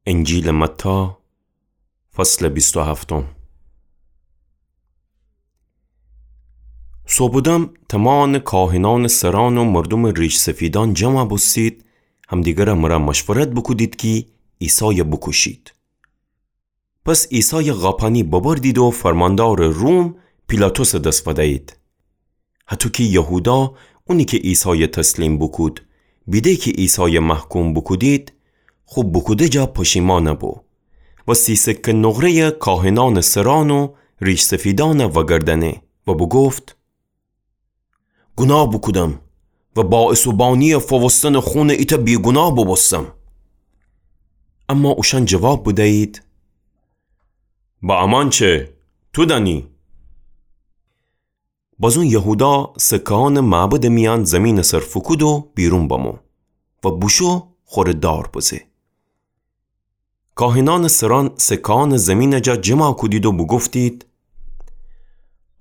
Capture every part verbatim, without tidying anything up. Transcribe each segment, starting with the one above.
انجیلٚ متی، فصلٚ بیست و هفتم. صوبٚ دم تمامٚ کاهنأنٚ سرأن و مردومٚ ریش‌سفیدأن جمع بوستید، همدیگرٚ مرأ مشورت بوکودید کی عیسای بوکوشید. پس عیسای قاپانی ببردید و فرماندارٚ روم پیلاطسٚ دس فدیید. هطو کی یهودا، اونی کی عیسای تسلیم بوکود، بیده کی عیسای محکوم بوکودید، خو بوکوده جا پشیمأن بو و سی سکه نقره‌یٚ کاهنأنٚ سرأن و ریش‌سفیدأن وأگردأنه و بوگفت: گوناه بوکودم و باعث و بانی‌یٚ فووستنٚ خونٚ ایتأ بیگوناه بوبوستم. اما اوشأن جواب بدیید: به امأن چه؟ تو دأنی. بازون یهودا سکه‌أنٚ معبدٚ میأن زیمینٚ سر فوکود و بیرون بمو و بوشو خوره دار بزه. کاهنأنٚ سرأن سکه‌أنٚ زیمینٚ جا جمع کودید و بوگفتید: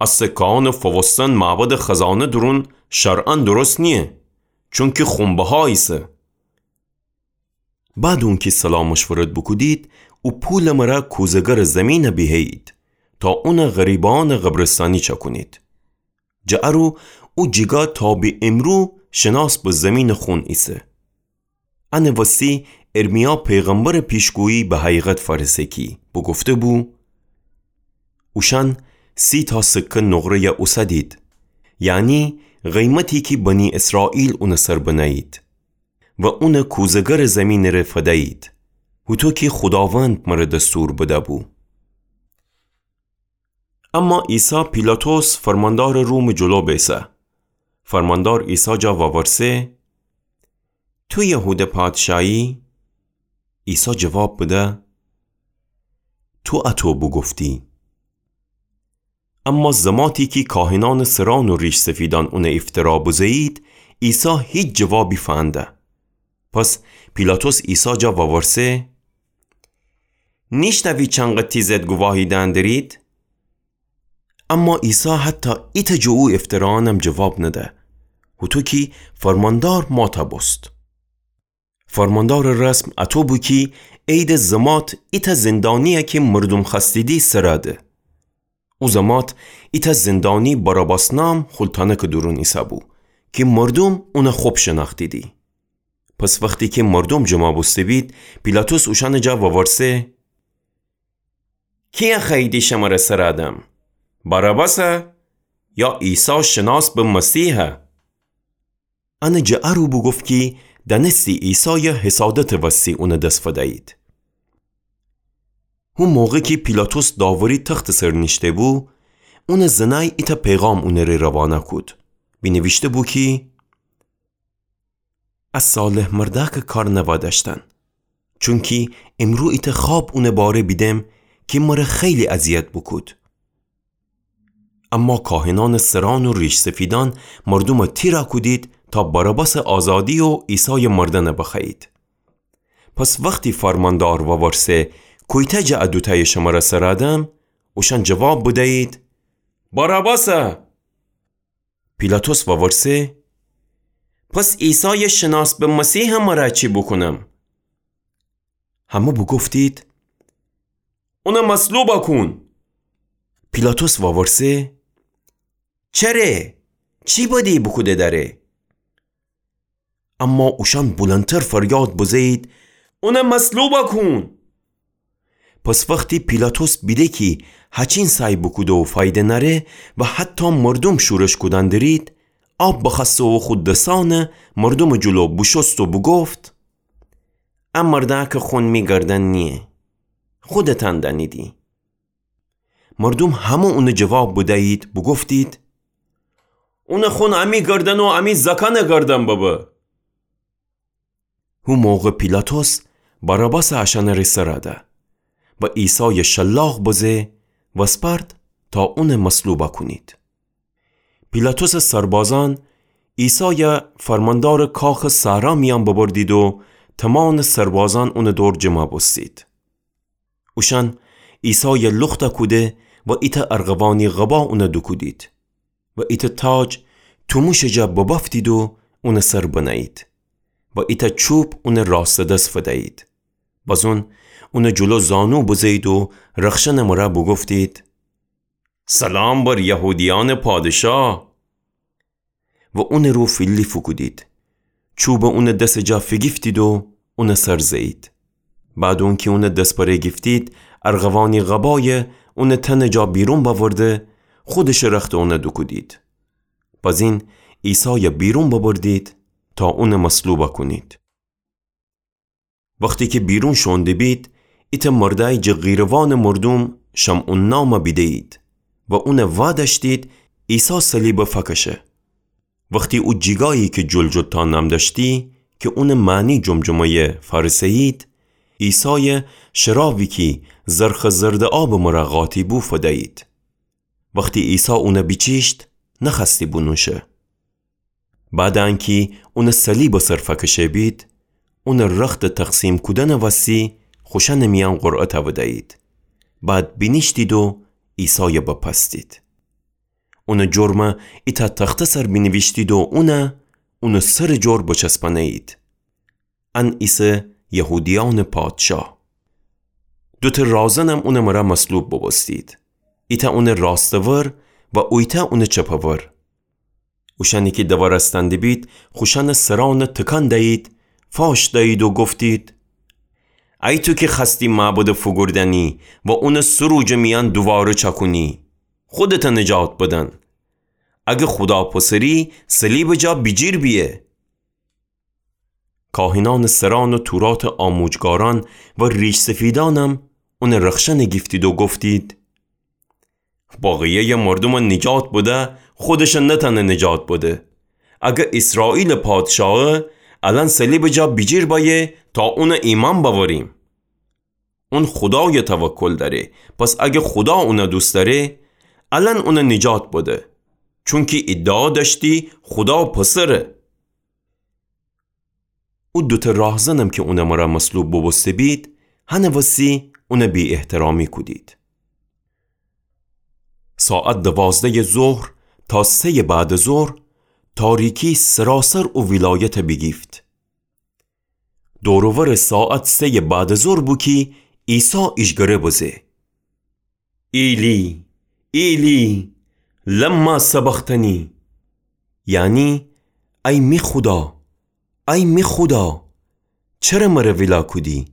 ا سکه‌أنٚ فووستن معبدٚ خزانه دورون شرعاً درست نییه، چونکی خون‌بها ایسه. بعد اونکی صلاح مشورت بوکودید، او پولٚ مرأ کوزه‌گرٚ زیمین بیهیید، تا اون غریبأنٚ قبرستانی چأکونید. جٚه ا رو او جیگا تا به امرو شناس به زیمینٚ خون ایسه. انٚ وستی ارمیا پیغمبرٚ پیشگویی به حقیقت فأرسه کی بوگفته‌بو: اوشأن سی تا سکه نقره‌ی اوسدید، یعنی قیمتی کی بنی اسرائیل اونٚ سر بنه‌یید و اونٚ کوزه‌گرٚ زیمینٚ ره فدیید، هوطو کی خوداوند مره دستور بده‌بو. اما عیسی پیلاطس فرماندارٚ رومٚ جلو بیسه. فرماندار عیسی جا وورسه: تو یهوده پادشایی؟ عیسی جواب بده: تو اطو بوگفتی. اما زماتی کی کاهنأنٚ سرأن و ریش‌سفیدأن اون افترا بزه‌یید، عیسی هیچ جوابی فنده. پس پیلاطس عیسی جا وورسه: نیشنوی چنقه تی ضد گواهی دئن درید؟ اما عیسی حتی ایتأ جٚه او افترایأنم جواب نده، هوطو کی فرماندار ماتا بوست. فرماندارٚ رسم اطو بو کی عیدٚ زمات ایتأ زندانی‌یه کی مردوم خوأستیدی سرَ ده. او زمات ایتأ زندانی باراباس نام خول تانکٚ دورون ایسه‌بو کی مردوم اون خب شنأختیدی. پس وختی کی مردوم جمع بوسته‌بید، پیلاطس اوشأنٚ جا وورسه: کی‌یه خوأییدی شمره سرَ دم؟ باراباسَ یا عیسی شناس به مسیحَ؟ انَ جٚه ا رو بوگفت کی دأنستی عیسایَ حسادتٚ وستی اونٚ دس فدأیید. هو موقع کی پیلاطس داوری تختٚ سر نیشته‌بو، اونٚ زنأی ایتأ پیغام اونٚ ره روانه کود. بینیویشته‌بو کی ا صالح مردأکٚ کار نوا دأشتن، چونکی امرو ایتأ خواب اونٚ باره بیدم کی مره خیلی اذیت بوکود. اما کاهنأنٚ سرأن و ریش‌سفیدأن مردومَ تیرَ کودید تا باراباسٚ آزادی و عیسایٚ مردنَ بخوأیید. پس وختی فرماندار وورسه: کویتأ جٚه ا دوتأیٚ شمره سرَ دم؟ اوشأن جواب بدأیید: باراباسَ. پیلاطس وورسه: پس عیسایٚ شناس به مسیحَ مره چی بوکونم؟ همه بوگفتید: اونَ مصلوبَ کون. پیلاطس وورسه: چره؟ چی بدی بوکوده دأره؟ اما اوشأن بلندتر فریاد بزه‌یید: اونَ مصلوبَ کون. پس وختی پیلاطس بیده کی هچین سعی بوکوده و فایده نأره و حتی مردوم شورش کودن درید، آب بخوأسته و خو دسأنَ مردومٚ جلو بوشوست و بوگفت: ا مردأکٚ خون می گردن نییه، خودتأن دأنیدی. مردوم همه اونَ جواب بدأیید، بوگفتید: اونٚ خون امی گردن و امی زأکأنٚ گردن ببه. هو موقع پیلاطس باراباسَ اشأنٚ ره سرَ ده و عیسایَ شلاق بزه وسپرد تا اونَ مصلوبَ کونید. پیلاطسٚ سربازأن عیسایَ فرماندارٚ کاخٚ صحرا میأن ببردید و تمامٚ سربازأن اونٚ دور جمع بوستید. اوشأن عیسایَ لختَ کوده و ایتأ ارغوانی قبا اونَ دوکودید و ایتأ تاج توموشٚ جا ببأفتید و اونٚ سر بنه‌یید و ایتأ چوب اونٚ راستٚ دس فدأیید. بازون اونٚ جلو زانو بزه‌یید و رخشنٚ مرأ بوگفتید: سلام بر یهودیأنٚ پادشاه! و اونٚ رو فیلی فوکودید. چوبٚ اونٚ دسٚ جا فیگیفتید و اونٚ سر زه‌یید. بعد اونکی اونٚ دس بره گیفتید، ارغوانی قبایَ اونٚ تنٚ جا بیرون بأورده، خودشٚ رختٚ اونَ دوکودید. بزین عیسایَ بیرون ببردید تا اونَ مصلوب کونید. وختی کی بیرون شوئونده بید، ایتأ مردأیی جٚه قیروانٚ مردوم شمعون نام بیده‌یید و اونَ وادأشتید عیسی صلیب فکشه. وختی او جیگایی کی جلجلتا نام دأشتی، کی اونٚ معنی جمجمه‌یه، فأرسه‌یید، عیسایَ شرابی کی زرخٚ زردٚ آبٚ مرأ قاطی بو فدأیید. وختی عیسی اونَ بیچیشت، نخوأستی بونوشه. بعدٚ انکی اونَ صلیبٚ سر فکشه بید، اونٚ رختٚ تقسیم کودنٚ وسی خوشأنٚ میأن قرعه تأودأیید. بعد بینیشتید و عیسایَ بپستید. اونٚ جرمَ ایتأ تخته سر بینیویشتید و اونَ، اونٚ سرٚ جور بچسبأنه‌یید. ان ایسه یهودیأنٚ پادشاه. دوتأ راهزنم اونٚ مرأ مصلوب بوبوستید. ایتأ اونٚ راستٚ ور و اویتأ اونٚ چپٚ ور. اوشأنی کی دوارستأنده بید، خوشأنٚ سرأنَ تکان دأیید، فاش دأیید و گفتید: ای تو کی خوأستی معبدَ فوگوردنی و اونَ سه روجٚ میأن دوواره چأکونی، خودتَ نجات بدن. اگر خودا پسری، صلیبٚ جا بیجیر بیه. کاهنأنٚ سرأن و توراتٚ آموجگارأن و ریش‌سفیدأنم اونٚ رخشنَ گیفتید و گفتید: بقیه‌یٚ مردومَ نجات بده، خودشَ نتأنه نجات بده. اگر ایسرائیلٚ پادشاهه، الأن صلیبٚ جا بیجیر بأیه تا اونَ ایمأن بأوریم. اون خودایَ توکل دأره، پس اگر خودا اونَ دوست دأره، الأن اونَ نجات بده، چونکی ادعا دأشتی خودا پسره. او دوتأ راهزنم کی اونٚ مرأ مصلوب بوبوسته بید، هنٚ وسی اونَ بی‌احترامی کودید. ساعت دوازده‌یٚ ظهر تا سه‌یٚ بعدٚ ظهر، تاریکی سراسر او ولایتَ بیگیفت. دور و ورٚ ساعت سه‌یٚ بعدٚ ظهر بو کی عیسی ایجگره بزه: ایلی، ایلی، لما سبقتنی؟ یعنی، ای می خودا، ای می خودا، چره مرَ ویلا کودی؟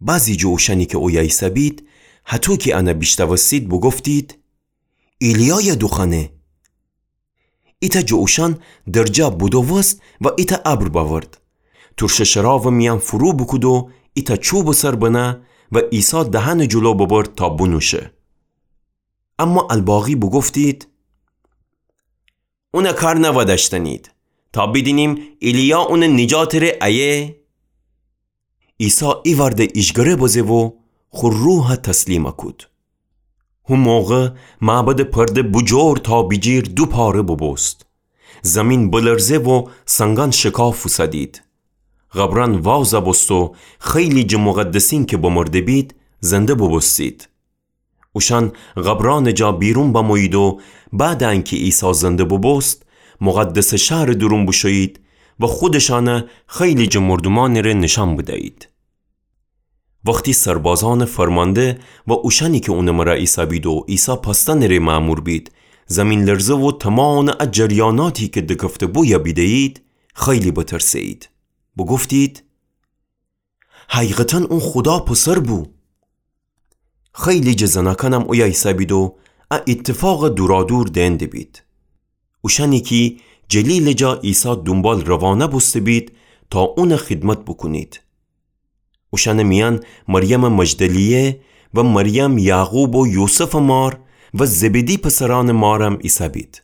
بعضی جٚه اوشأنی کی اویه ایسه‌بید، هطو کی انَ بیشنوستید، بوگفتید: ایلیایَ دوخوأنه. ایتأ جٚه اوشأن درجا بودووست و ایتأ ابر بأورد. تورشٚ شراوٚ میأن فرو بوکود و ایتأ چوبٚ سر بنه و عیسی دهنٚ جلو ببرد تا بونوشه. اما الباقی بوگفتید: اونَ کار نودأشتنید، تا بیدینیم ایلیا اونٚ نجاتٚ ره ایه؟ عیسی ایوأرده ایجگره بزه و خو روحَ تسلیمَ کود. هو موقع معبدٚ پرده بوجور تا بیجیر دو پاره بوبوست. زیمین بلرزه و سنگأن شکاف اوسدید. قبرأن وازَ بوست و خیلی جٚه مقدسین کی بمرده بید، زنده بوبوستید. اوشأن قبرأنٚ جا بیرون بمویید و بعدٚ انکی عیسی زنده بوبوست، مقدسٚ شهرٚ دورون بوشویید و خودشأنَ خیلی جٚه مردومأنٚ ره نیشأن بدیید. وختی سربازأنٚ فرمانده و اوشأنی کی اونٚ مرأ ایسه‌بید و عیسی پستنٚ ره مأمور بید، زیمین‌لرزه و تومامٚ ا جریاناتی کی دکفته‌بو یا بیده‌یید، خیلی بترسه‌یید. بوگفتید: حقیقتاً اون خودا پسر بو. خیلی جٚه زنأکأنم اویه ایسه‌بید و ا ایتفاقَ دورادور دئن دیبید. اوشأنی کی جلیلٚ جا عیسی دونبال روانه بوسته‌بید تا اونٚ خدمت بوکونید. اوشأنٚ میأن مریمٚ مجدلیه و مریم یعقوب و یوسفٚ مار و زبدی پسرأنٚ مارم ایسه‌بید.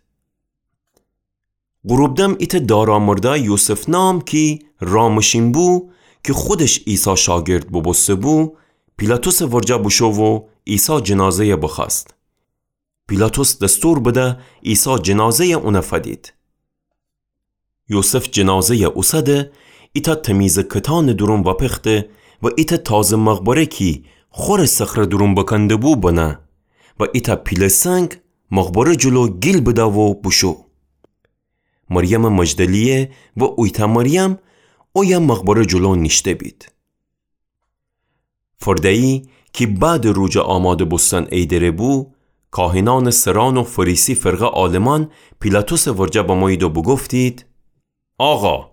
غروبدم ایتأ دارا مردأی یوسف نام کی رامشین بو، کی خودش عیسی شاگرد بوبوسته‌بو، پیلاطسٚ ورجه بوشو و عیسی جنازه‌یَ بخوأست. پیلاطس دستور بده عیسی جنازه‌یَ اونَ فدید. یوسف جنازه‌یَ اوسده، ایتأ تمیزٚ کتانٚ دورون وأپخته و ایتأ تازه مقبره کی خورٚ صخره دورون بکنده‌بو بنه و ایتأ پیله سنگ مقبره جلو گیل بده و بوشو. مریمٚ مجدلیه و اویتأ مریم اویه مقبره جلو نیشته‌بید. فرده‌یی کی بعدٚ روجٚ آماده بوستن ایدره بو، کاهنأنٚ سرأن و فریسی فرقه عالمأن پیلاطسٚ ورجه بمویید و بوگفتید: آقا،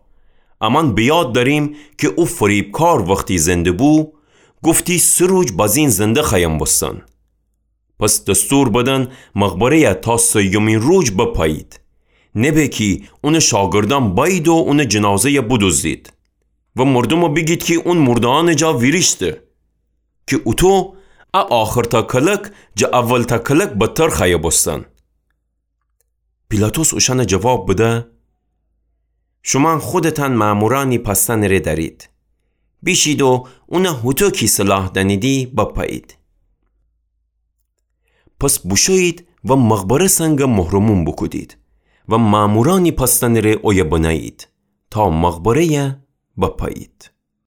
امأن به یاد دأریم کی او فریبکار وختی زنده بو، گفتی سه روج بازین زنده خوأیم بوستن. پس دستور بدن مقبره‌یه تا سیمی روج بپایید. نبه کی اونٚ شاگردأن بأیید و اونٚ جنازه‌یه بدوزدید و مردومه بیگید کی اون مرده‌أنٚ جا ویریشته، کی اوطو ا آخرتأ کلک جٚه اولتأ کلک بدتر خوأیه بوستن. پیلاطس اوشأنه جواب بده: شومأن خودتأن مأمورأنی پأستنٚ ره دأرید. بیشید و اونه هوطو کی صلاح دأنیدی بپأیید. پس بوشویید و مقبره سنگ مهرموم بوکودید و مأمورأنی پأستنٚ ره اویه بنه‌یید تا مقبره‌یه بپأیید.